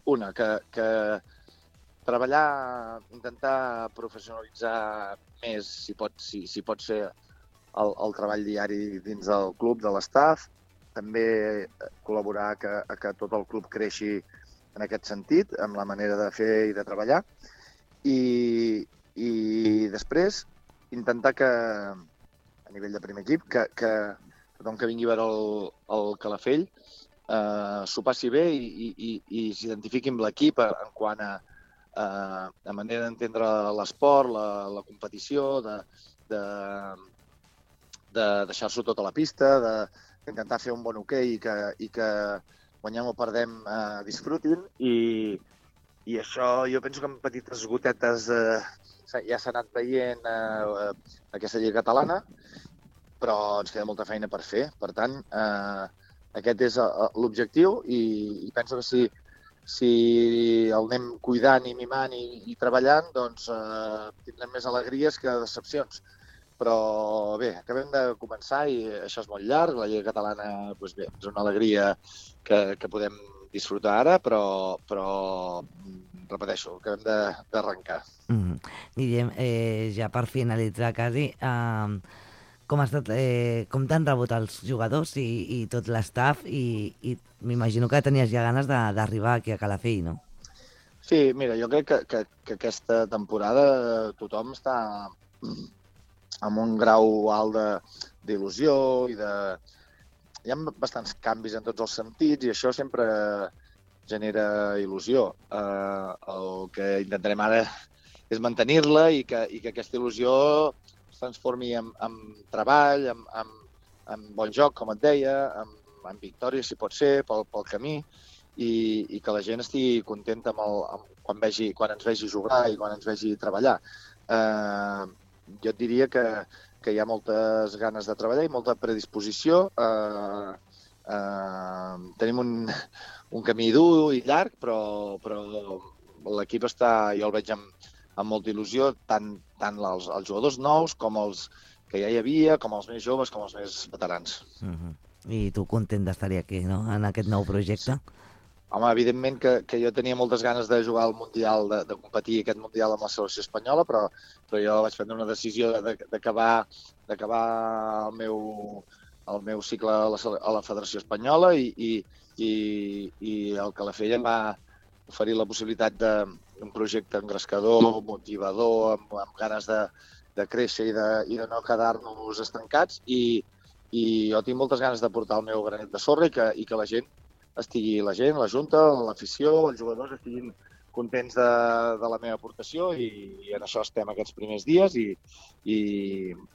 una, que, que treballar, intentar professionalitzar més, si pot, si, si pot ser, el, el treball diari dins del club, de l'estaf, també col·laborar que, que tot el club creixi en aquest sentit, amb la manera de fer i de treballar, i, i després intentar que, a nivell de primer equip, que, que tothom que vingui a veure el, el Calafell eh, s'ho passi bé i, i, i s'identifiqui amb l'equip en quant a Uh, la manera d'entendre l'esport, la, la competició, de, de, de deixar-s'ho tot a la pista, d'intentar fer un bon hoquei i que, i que guanyem o perdem uh, disfrutin. I, I això jo penso que amb petites gotetes uh, ja s'ha anat veient uh, aquesta Lliga Catalana, però ens queda molta feina per fer. Per tant, uh, aquest és uh, l'objectiu i, i penso que si Si el anem cuidant i mimant i, i treballant, doncs eh, tindrem més alegries que decepcions. Però bé, acabem de començar i això és molt llarg. La Lliga Catalana doncs bé, és una alegria que, que podem disfrutar ara, però, però repeteixo, acabem d'arrencar. Mm. Guillem, eh, ja per finalitzar quasi, eh, com, ha estat, eh, com t'han rebut els jugadors i, i tot l'estaf i, i m'imagino que tenies ja ganes d'arribar aquí a Calafell, no? Sí, mira, jo crec que, que, que aquesta temporada tothom està amb un grau alt d'il·lusió i de... Hi ha bastants canvis en tots els sentits i això sempre genera il·lusió. Eh, el que intentarem ara és mantenir-la i que, i que aquesta il·lusió es transformi en, en treball, en, en, en bon joc, com et deia, en, en victòria, si pot ser, pel, pel camí, i, i que la gent estigui contenta amb el, amb, quan, vegi, quan ens vegi jugar i quan ens vegi treballar. Eh, jo et diria que, que hi ha moltes ganes de treballar i molta predisposició. Eh, eh, tenim un, un camí dur i llarg, però, però l'equip està, jo el veig amb, amb molta il·lusió, tant, tant els, els jugadors nous com els que ja hi havia, com els més joves, com els més veterans. Uh-huh. I tu content d'estar aquí, no?, en aquest nou projecte? Home, evidentment que, que jo tenia moltes ganes de jugar al Mundial, de, de competir aquest Mundial amb la selecció espanyola, però, però jo vaig prendre una decisió d'acabar d'acabar el meu, el meu cicle a la, a la Federació Espanyola i, i, i, i el Calafell em va oferir la possibilitat d'un projecte engrescador, motivador, amb, amb ganes de, de créixer i de, i de no quedar-nos estancats, i, i jo tinc moltes ganes de portar el meu granet de sorra i que, i que la gent estigui, la gent, la Junta, l'afició, els jugadors estiguin contents de, de la meva aportació i, i en això estem aquests primers dies i, i,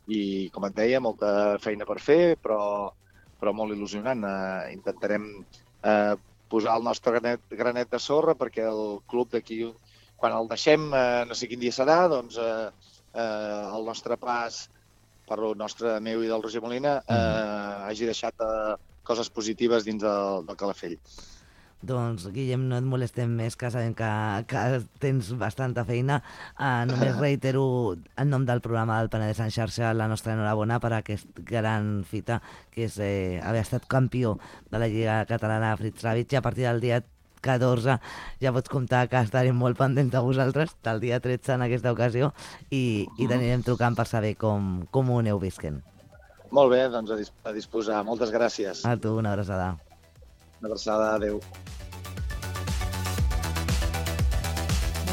i com et deia, molta feina per fer, però, però molt il·lusionant. Eh, intentarem eh, posar el nostre granet, granet de sorra perquè el club d'aquí quan el deixem, eh, no sé quin dia serà, doncs eh, eh, el nostre pas, parlo nostre, meu i del Roger Molina, eh, mm. hagi deixat eh, coses positives dins del, del Calafell. Doncs, Guillem, no et molestem més, que sabem que, que tens bastanta feina. Uh, només reitero, en nom del programa del Penedès en xarxa, la nostra enhorabona per aquesta gran fita, que és eh, haver estat campió de la Lliga Catalana Fritz Ravitch, i a partir del dia catorze ja pots comptar que estarem molt pendents de vosaltres, del dia tretze en aquesta ocasió, i, i t'anirem trucant per saber com, com ho aneu visquent. Molt bé, doncs a, dis a disposar. Moltes gràcies. A tu, una abraçada. Una abraçada, adeu.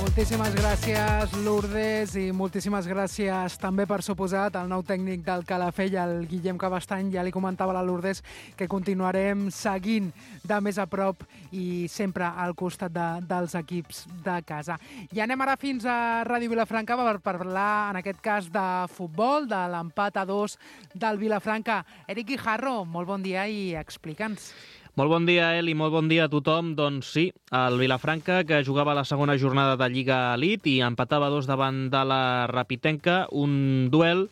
Moltíssimes gràcies, Lourdes, i moltíssimes gràcies també, per suposat, al nou tècnic del Calafell, el Guillem Cabestany. Ja li comentava a la Lourdes que continuarem seguint de més a prop i sempre al costat de, dels equips de casa. I anem ara fins a Ràdio Vilafranca per parlar, en aquest cas, de futbol, de l'empat a dos del Vilafranca. Eric Guijarro, molt bon dia i explica'ns. Molt bon dia, Eli, molt bon dia a tothom. Doncs sí, el Vilafranca, que jugava la segona jornada de Lliga Elite i empatava dos davant de la Rapitenca, un duel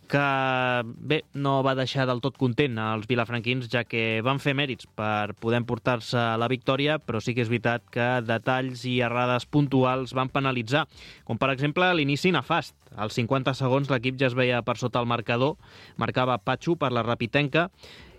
que, bé, no va deixar del tot content als vilafranquins, ja que van fer mèrits per poder emportar-se la victòria, però sí que és veritat que detalls i errades puntuals van penalitzar, com per exemple l'inici nefast. Als cinquanta segons l'equip ja es veia per sota el marcador, marcava Patxo per la Rapitenca,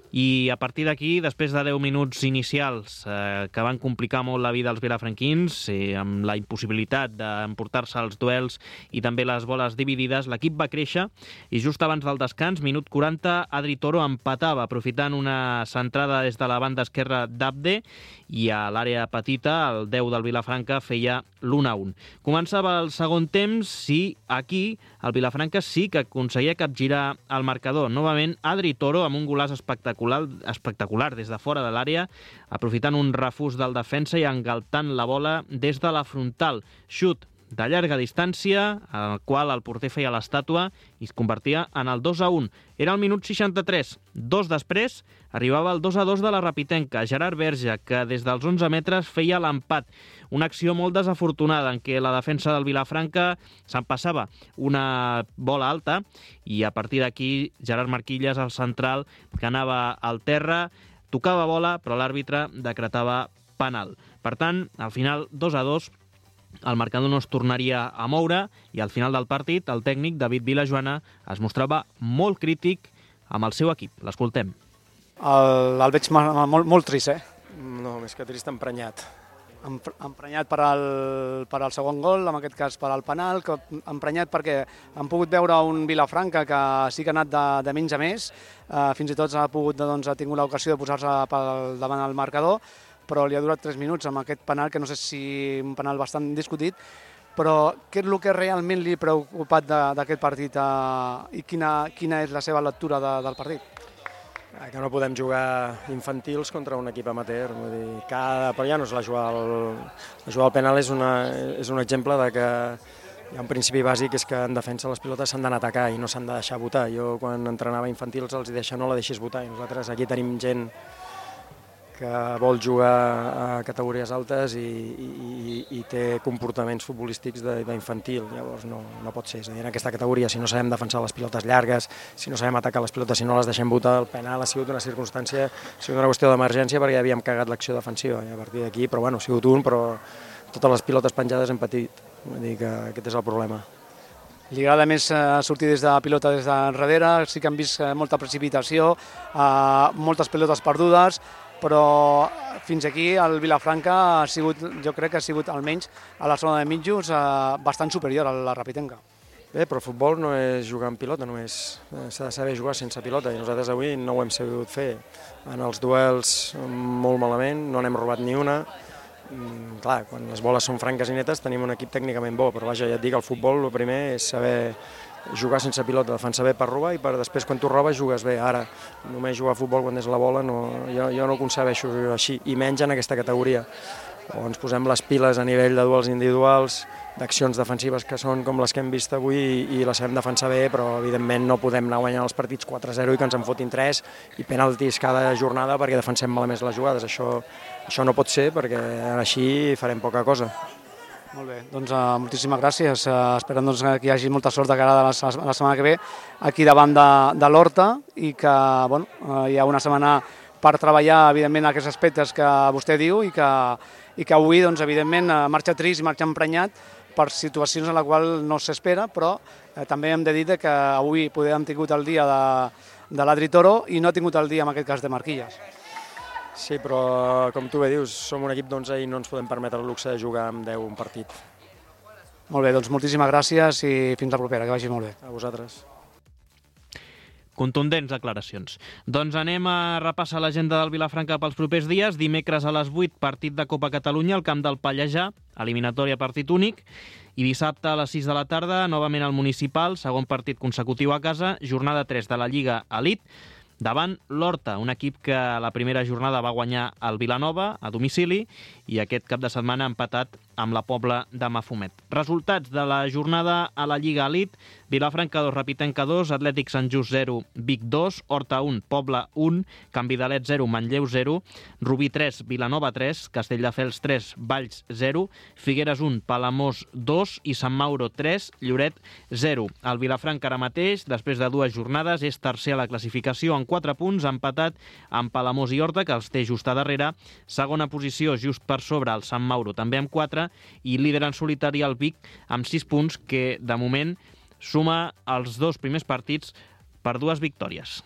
i a partir d'aquí, després de deu minuts inicials eh, que van complicar molt la vida als vilafranquins, eh, amb la impossibilitat d'emportar-se els duels i també les boles dividides, l'equip va créixer i just abans del descans, minut quaranta, Adri Toro empatava, aprofitant una centrada des de la banda esquerra d'Abde, i a l'àrea petita el deu del Vilafranca feia l'u a un. Començava el segon temps i aquí el Vilafranca sí que aconseguia capgirar el marcador. Novament, Adri Toro amb un golaç espectacular espectacular des de fora de l'àrea, aprofitant un refús del defensa i engaltant la bola des de la frontal. Xut de llarga distància, al qual el porter feia l'estàtua i es convertia en el dos a un. Era el minut seixanta-tres. Dos després arribava el dos a dos de la Rapitenca. Gerard Verge, que des dels onze metres feia l'empat. Una acció molt desafortunada en què la defensa del Vilafranca se'n passava una bola alta i a partir d'aquí Gerard Marquilles, el central, que anava al terra, tocava bola, però l'àrbitre decretava penal. Per tant, al final, dos a dos, el marcador no es tornaria a moure i al final del partit el tècnic David Vilajoana es mostrava molt crític amb el seu equip. L'escoltem. El, el veig molt, molt trist, eh? No, més que trist, emprenyat. Emprenyat per al, per al segon gol, en aquest cas per al penal, que emprenyat perquè han pogut veure un Vilafranca que sí que ha anat de, de menys a més, eh, fins i tot ha, pogut, doncs, ha tingut l'ocasió de posar-se davant el marcador, però li ha durat tres minuts amb aquest penal, que no sé si un penal bastant discutit, però què és el que realment li ha preocupat d'aquest partit eh, i quina, quina és la seva lectura de, del partit? Que no podem jugar infantils contra un equip amateur, vull dir, cada... però ja no és la jugar al, la jugar al penal és, una, és un exemple de que hi ha un principi bàsic, és que en defensa les pilotes s'han d'anar a atacar i no s'han de deixar votar. Jo quan entrenava infantils els deia no la deixis votar i nosaltres aquí tenim gent que vol jugar a categories altes i, i, i té comportaments futbolístics d'infantil, llavors no, no pot ser. És a dir, en aquesta categoria, si no sabem defensar les pilotes llargues, si no sabem atacar les pilotes, si no les deixem votar, el penal ha sigut una circumstància, ha sigut una qüestió d'emergència perquè ja havíem cagat l'acció defensiva i a partir d'aquí, però bueno, ha sigut un, però totes les pilotes penjades hem patit, vull dir que aquest és el problema. Li agrada més sortir des de pilota des de darrere, sí que hem vist molta precipitació, moltes pilotes perdudes, però fins aquí el Vilafranca ha sigut, jo crec que ha sigut almenys a la zona de mitjos bastant superior a la Rapitenca. Bé, però el futbol no és jugar amb pilota, només s'ha de saber jugar sense pilota i nosaltres avui no ho hem sabut fer. En els duels molt malament, no n'hem robat ni una. Clar, quan les boles són franques i netes tenim un equip tècnicament bo, però vaja, ja et dic, el futbol el primer és saber jugar sense pilota, defensar bé per robar i per després quan tu robes jugues bé. Ara només jugar a futbol quan és la bola no, jo, jo no ho concebeixo així, i menys en aquesta categoria. O ens posem les piles a nivell de duels individuals, d'accions defensives que són com les que hem vist avui i, i les sabem defensar bé, però evidentment no podem anar guanyant els partits quatre a zero i que ens en fotin tres i penaltis cada jornada perquè defensem malament les jugades. Això, això no pot ser perquè així farem poca cosa. Molt bé, doncs uh, moltíssimes gràcies. Uh, esperem doncs, que hi hagi molta sort de cara a la, a la setmana que ve aquí davant de, de l'Horta i que bueno, uh, hi ha una setmana per treballar, evidentment, aquests aspectes que vostè diu i que, i que avui, doncs, evidentment, uh, marxa trist i marxa emprenyat per situacions en la qual no s'espera, però eh, també hem de dir que avui poder hem tingut el dia de, de l'Adri Toro i no ha tingut el dia, en aquest cas, de Marquilles. Sí, però com tu bé dius, som un equip d'onze i no ens podem permetre el luxe de jugar amb deu un partit. Molt bé, doncs moltíssimes gràcies i fins la propera, que vagi molt bé. A vosaltres. Contundents declaracions. Doncs anem a repassar l'agenda del Vilafranca pels propers dies. Dimecres a les vuit, partit de Copa Catalunya al camp del Pallejà, eliminatòria partit únic. I dissabte a les sis de la tarda, novament al Municipal, segon partit consecutiu a casa, jornada tres de la Lliga Elite, davant l'Horta, un equip que la primera jornada va guanyar el Vilanova a domicili i aquest cap de setmana ha empatat amb la Pobla de Mafumet. Resultats de la jornada a la Lliga Elite: Vilafranca dos, Rapitenca dos, Atlètic Sant Just zero, Vic dos, Horta un, Pobla un, Can Vidalet zero, Manlleu zero, Rubí tres, Vilanova tres, Castelldefels tres, Valls zero, Figueres un, Palamós dos i Sant Mauro tres, Lloret zero. El Vilafranca ara mateix, després de dues jornades, és tercer a la classificació en quatre punts, empatat amb Palamós i Horta, que els té just a darrere. Segona posició, just per sobre, el Sant Mauro, també amb quatre, i líder en solitari el Vic amb sis punts, que de moment suma els dos primers partits per dues victòries.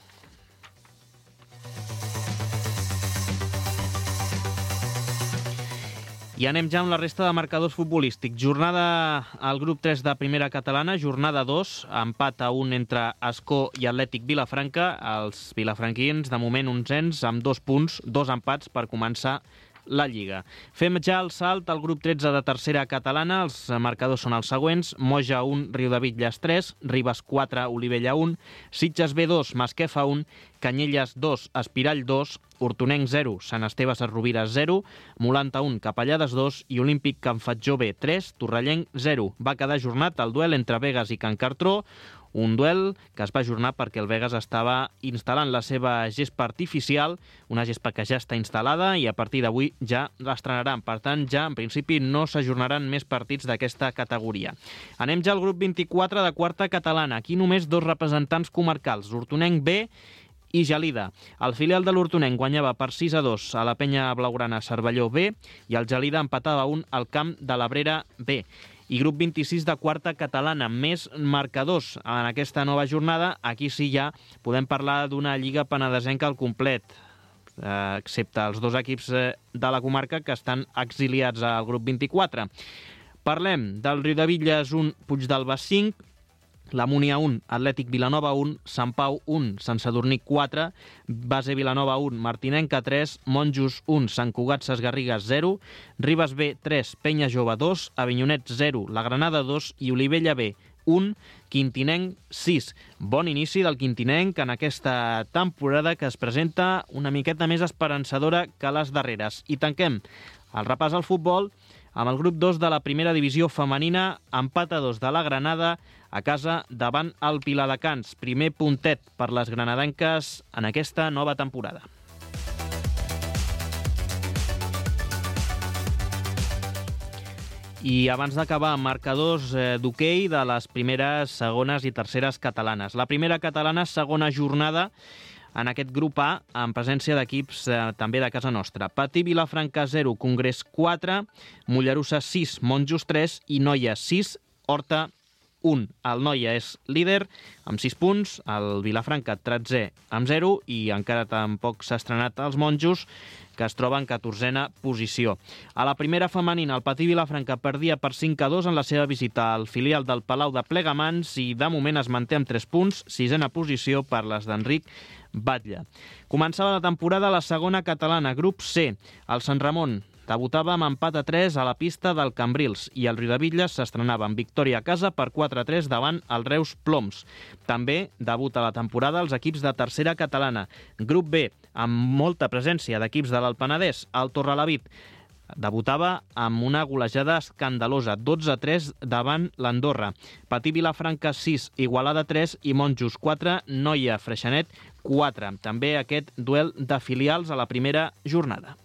I anem ja amb la resta de marcadors futbolístics. Jornada al grup tres de primera catalana, jornada dos, empat a un entre Ascó i Atlètic Vilafranca. Els vilafranquins, de moment, onzens, amb dos punts, dos empats per començar la Lliga. Fem ja el salt al grup tretze de tercera catalana. Els marcadors són els següents: Moja un, Riudebitlles tres, Ribes quatre, Olivella un, Sitges B dos, Masquefa un, Canyelles dos, Espirall dos, Hortonenc zero, Sant Esteve Sesrovires zero, Molanta un, Capellades dos i Olímpic Can Fatjó B tres, Torrellenc zero. Va quedar ajornat el duel entre Begues i Can Cartró, un duel que es va ajornar perquè el Begues estava instal·lant la seva gespa artificial, una gespa que ja està instal·lada i a partir d'avui ja l'estrenaran. Per tant, ja en principi no s'ajornaran més partits d'aquesta categoria. Anem ja al grup vint-i-quatre de quarta catalana. Aquí només dos representants comarcals, Hortonenc B i Gelida. El filial de l'Hortonenc guanyava per sis a dos a la penya blaugrana Cervelló B i el Gelida empatava un al camp de l'Abrera B. I grup vint-i-sis de quarta catalana, més marcadors en aquesta nova jornada. Aquí sí ja podem parlar d'una lliga penedesenca al complet, eh, excepte els dos equips de la comarca que estan exiliats al grup vint-i-quatre. Parlem del Riudebitlles un, Puigdàlber cinc, la Múnia un, Atlètic Vilanova un, Sant Pau un, Sant Sadurní quatre, Base Vilanova un, Martinenca tres, Monjos un, Sant Cugat Sesgarrigues zero, Ribes B tres, Penya Jove dos, Avinyonet zero, La Granada dos i Olivella B un, Quintinenc sis. Bon inici del Quintinenc en aquesta temporada que es presenta una miqueta més esperançadora que les darreres. I tanquem el repàs al futbol amb el grup dos de la primera divisió femenina, empat a dos de la Granada a casa davant el Viladecans. Primer puntet per les granadenques en aquesta nova temporada. I abans d'acabar, marcadors eh, d'hoquei de les primeres, segones i terceres catalanes. La primera catalana, segona jornada en aquest grup A, en presència d'equips eh, també de casa nostra. Patí Vilafranca zero, Congrés quatre, Mollerussa sis, Monjos tres i Noia sis, Horta un. El Noia és líder amb sis punts, el Vilafranca tretzè amb zero i encara tampoc s'ha estrenat els Monjos, que es troba en catorzena posició. A la primera femenina, el Patí Vilafranca perdia per cinc a dos en la seva visita al filial del Palau de Plegamans i de moment es manté amb tres punts, sisena posició per les d'Enric Batlle. Començava la temporada a la segona catalana, grup C. El Sant Ramon debutava amb empat a tres a la pista del Cambrils i el Riudebitlles s'estrenava amb victòria a casa per quatre a tres davant el Reus Ploms. També debuta la temporada els equips de tercera catalana. Grup B, amb molta presència d'equips de l'Alt Penedès. El Torrelavit debutava amb una golejada escandalosa, dotze a tres davant l'Andorra. Patí Vilafranca sis, Igualada tres i Monjos quatre, Noia Freixenet quatre. També aquest duel de filials a la primera jornada.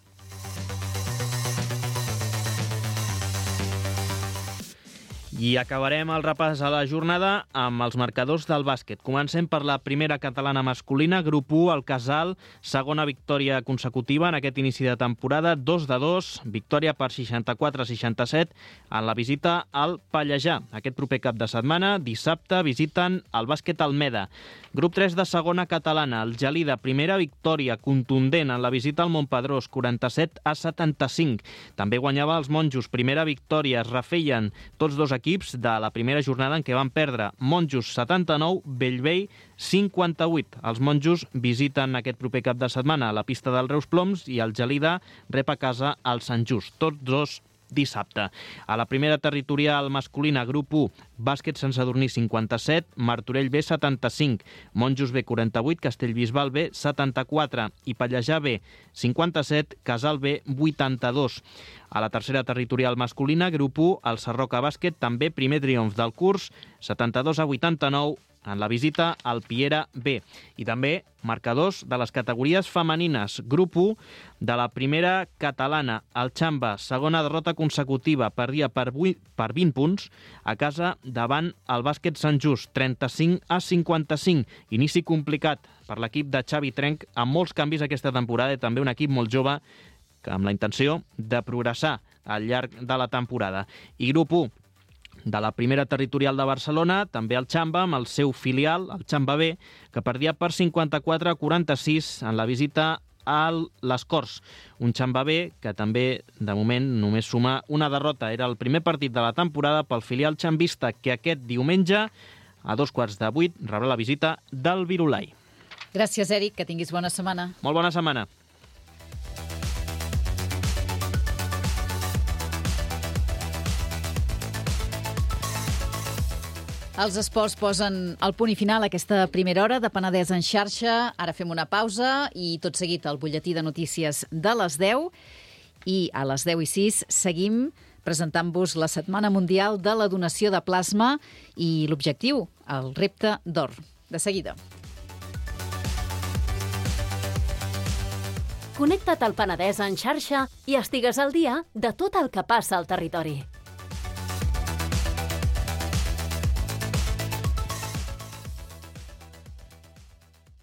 I acabarem el repàs a la jornada amb els marcadors del bàsquet. Comencem per la primera catalana masculina, grup u, el Casal, segona victòria consecutiva en aquest inici de temporada, dos de dos, victòria per seixanta-quatre a seixanta-set en la visita al Pallejà. Aquest proper cap de setmana, dissabte, visiten el bàsquet Almeda. Grup tres de segona catalana, el Gelida, primera victòria contundent en la visita al Montpedrós, quaranta-set a setanta-cinc. També guanyava els monjos, primera victòria, es refeien tots dos equips de la primera jornada en què van perdre. Monjos setanta-nou, Bellvei cinquanta-vuit. Els monjos visiten aquest proper cap de setmana a la pista del Reus Ploms i el Gelida rep a casa el Sant Just. Tots dos dissabte. A la primera territorial masculina, grup u, bàsquet Sant Sadurní cinquanta-set, Martorell B setanta-cinc, Monjos B quaranta-vuit, Castellbisbal B setanta-quatre i Pallejà B cinquanta-set, Casal B vuitanta-dos. A la tercera territorial masculina, grup u, el Sarroca Bàsquet, també primer triomf del curs, setanta-dos a vuitanta-nou, en la visita al Piera B. I també marcadors de les categories femenines. Grup u de la primera catalana, el Xamba, segona derrota consecutiva, perdia per, vuit, per vint punts a casa davant el bàsquet Sant Just, trenta-cinc a cinquanta-cinc. Inici complicat per l'equip de Xavi Trenc, amb molts canvis aquesta temporada i també un equip molt jove que amb la intenció de progressar al llarg de la temporada. I grup u de la primera territorial de Barcelona, també el Xamba, amb el seu filial, el Xamba B, que perdia per cinquanta-quatre a quaranta-sis en la visita a les Corts. Un Xamba B que també, de moment, només suma una derrota. Era el primer partit de la temporada pel filial xambista, que aquest diumenge, a dos quarts de vuit, rebrà la visita del Virolai. Gràcies, Eric, que tinguis bona setmana. Molt bona setmana. Els esports posen el punt i final a aquesta primera hora de Penedès en xarxa. Ara fem una pausa i tot seguit el butlletí de notícies de les deu. I a les deu i sis seguim presentant-vos la Setmana Mundial de la Donació de Plasma i l'objectiu, el repte d'or. De seguida. Connecta't al Penedès en xarxa i estigues al dia de tot el que passa al territori.